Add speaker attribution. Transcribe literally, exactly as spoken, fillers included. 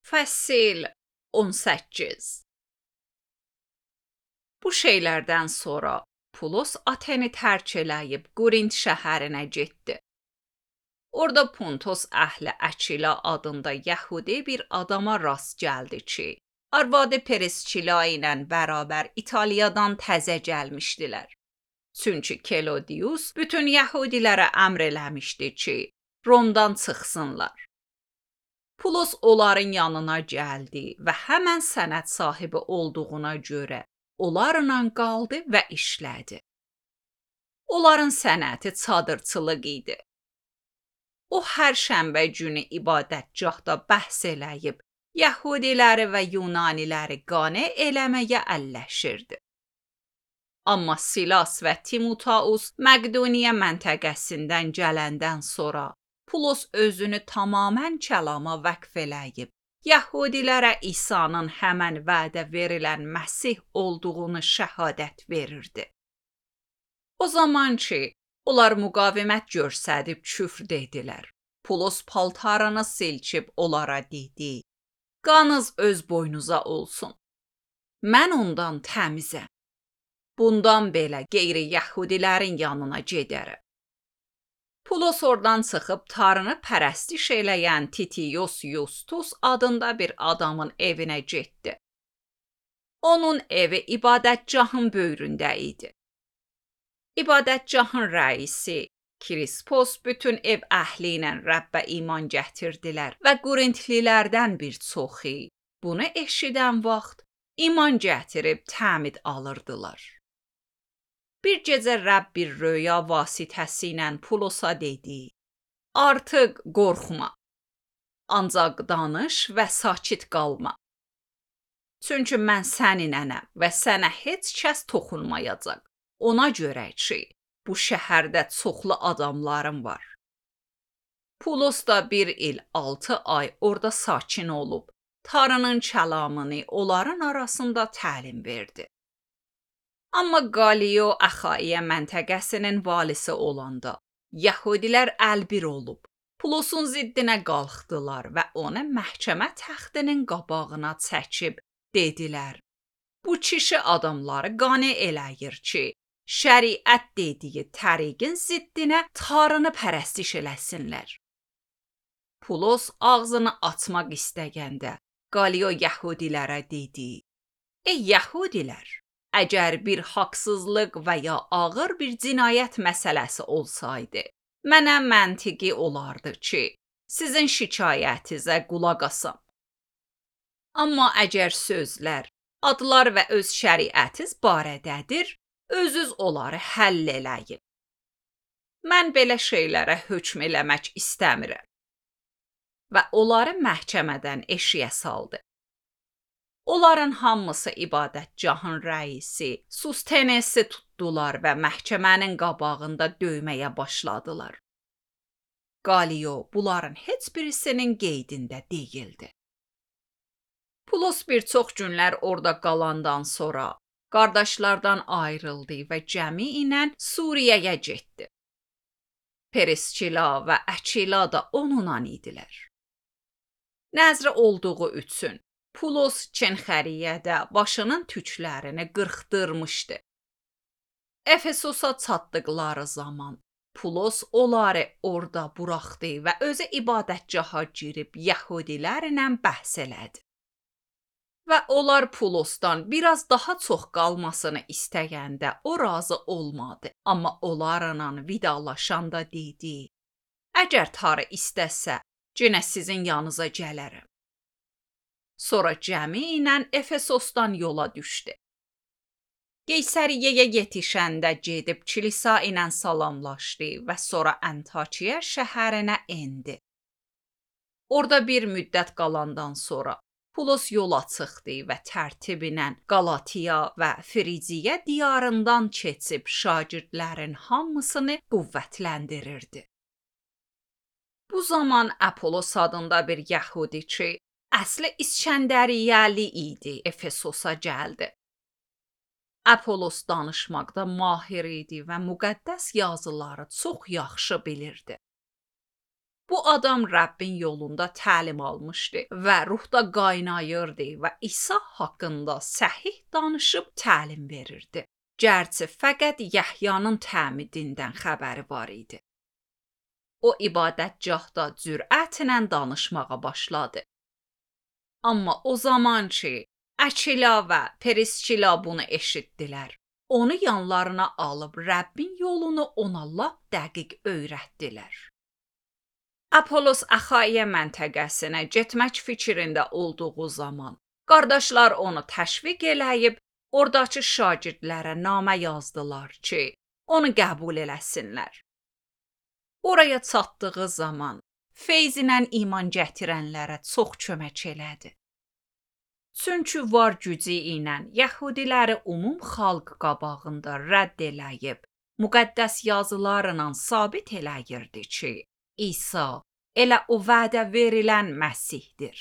Speaker 1: Fəsil on səkkiz. Bu şeylərdən sonra Pulos Ateni tərk eləyib Qorint şəhərinə getdi. Orada Pontos əhli Əçila adında Yəhudi bir adama rast gəldi ki, arvadı Periskila ilə bərabər İtaliyadan təzə gəlmişdilər. Çünki Kelodius bütün Yəhudilərə əmr eləmişdi ki, Romdan çıxsınlar. Pulos onların yanına gəldi və həmən sənəd sahibi olduğuna görə onlarla qaldı və işlədi. Onların sənəti çadırçılıq idi. O hər şənbə günü ibadətgahda bəhs eləyib, Yəhudiləri və Yunaniləri qane eləməyə əlləşirdi. Amma Silas və Timoteus Məqdoniya məntəqəsindən gələndən sonra Pulos özünü tamamən kəlama vəqf eləyib, Yəhudilərə İsa'nın həmən vədə verilən Məsih olduğunu şəhadət verirdi. O zaman ki, onlar müqavimət göstərib küfr dedilər. Pulos paltarını silkib onlara dedi: "Qanınız öz boynuza olsun. Mən ondan təmizəm. Bundan belə qeyri-Yəhudilərin yanına gedərəm." Pulos oradan çıxıb Tanrını pərəstiş eləyən Titius Yustus adında bir adamın evinə getdi. Onun evi ibadətgahın böyründə idi. İbadətgahın rəisi Krispos bütün ev əhli ilə Rəbbə iman gətirdilər və Qorintlilərdən bir çoxu bunu eşidən vaxt iman gətirib təmid alırdılar. Bir gecə Rəbb bir röya vasitəsilə Pulosa dedi: "Artıq qorxma. Ancaq danış və sakit qalma. Çünki mən səninlənəm və sənə heç kəs toxunmayacaq. Ona görə ki, bu şəhərdə çoxlu adamlarım var." Pulos da bir il altı ay orada sakin olub, Tanrının kəlamını onların arasında təlim verdi. Amma Qaliyo Əxaiya məntəqəsinin valisi olanda, Yəhudilər əlbir olub, Pulosun ziddinə qalxdılar və onu məhkəmə təxtinin qabağına çəkib dedilər: "Bu kişi adamları qane eləyir ki, şəriət dediyi təriqin ziddinə Tanrını pərəstiş eləsinlər." Pulos ağzını açmaq istəyəndə, Qaliyo Yəhudilərə dedi: "Ey Yəhudilər! Əgər bir haqsızlıq və ya ağır bir cinayət məsələsi olsaydı, mənə məntiqi olardı ki, sizin şikayətinizə qulaq asam. Amma əgər sözlər, adlar və öz şəriətiz barədədir, özünüz onları həll eləyin. Mən belə şeylərə hökm eləmək istəmirəm." Və onları məhkəmədən eşiyə saldı. Onların hamısı ibadətgahın rəisi Sustenesi tutdular və məhkəmənin qabağında döyməyə başladılar. Qaliyo bunların heç birisinin qeydində deyildi. Pulos bir çox günlər orada qalandan sonra qardaşlardan ayrıldı və cəmi ilə Suriyaya getdi. Periskila və Əçila da onunla idilər. Nəzri olduğu üçün Pulos Çenxəriyədə başının tüklərini qırxdırmışdı. Efesosa çatdıqları zaman Pulos onları orada buraxdı və özü ibadətgaha girib Yəhudilərlə bəhs elədi. Və onlar Pulosdan biraz daha çox qalmasını istəyəndə o razı olmadı, amma onlarla vidalaşanda dedi: "Əgər Tanrı istəsə, yenə sizin yanınıza gələrəm." Sonra cəmi ilə Efesosdan yola düşdü. Qeysəriyyəyə yetişəndə gedib kilisa ilə salamlaşdı və sonra Antakiya şəhərinə endi. Orada bir müddət qalandan sonra Pulos yola çıxdı və tərtiblə Qalatiya və Frigiya diyarından keçib şagirdlərin hamısını qüvvətləndirirdi. Bu zaman Apolos adında bir Yəhudi ki, əsli İskəndəriyyəli idi, Efesosa gəldi. Apolos danışmaqda mahir idi və müqəddəs yazıları çox yaxşı bilirdi. Bu adam Rəbbin yolunda təlim almışdı və ruhda qaynayırdı və İsa haqqında səhih danışıb təlim verirdi. Gərçi fəqət Yəhyanın təmidindən xəbəri var idi. O ibadətgahda cürətlə danışmağa başladı. Amma o zaman ki, Əkila və Periskila bunu eşitdilər, onu yanlarına alıb Rəbbin yolunu ona lap dəqiq öyrətdilər. Apollos Axaiya məntəqəsinə getmək fikrində olduğu zaman, qardaşlar onu təşviq eləyib, oradakı şagirdlərə namə yazdılar ki, onu qəbul eləsinlər. Oraya çatdığı zaman, feyzinlə iman gətirənlərə çox kömək elədi. Çünki var gücü ilə Yəhudiləri umum xalq qabağında rədd eləyib, müqəddəs yazılarla sabit eləyirdi ki, İsa elə o vədə verilən Məsihdir.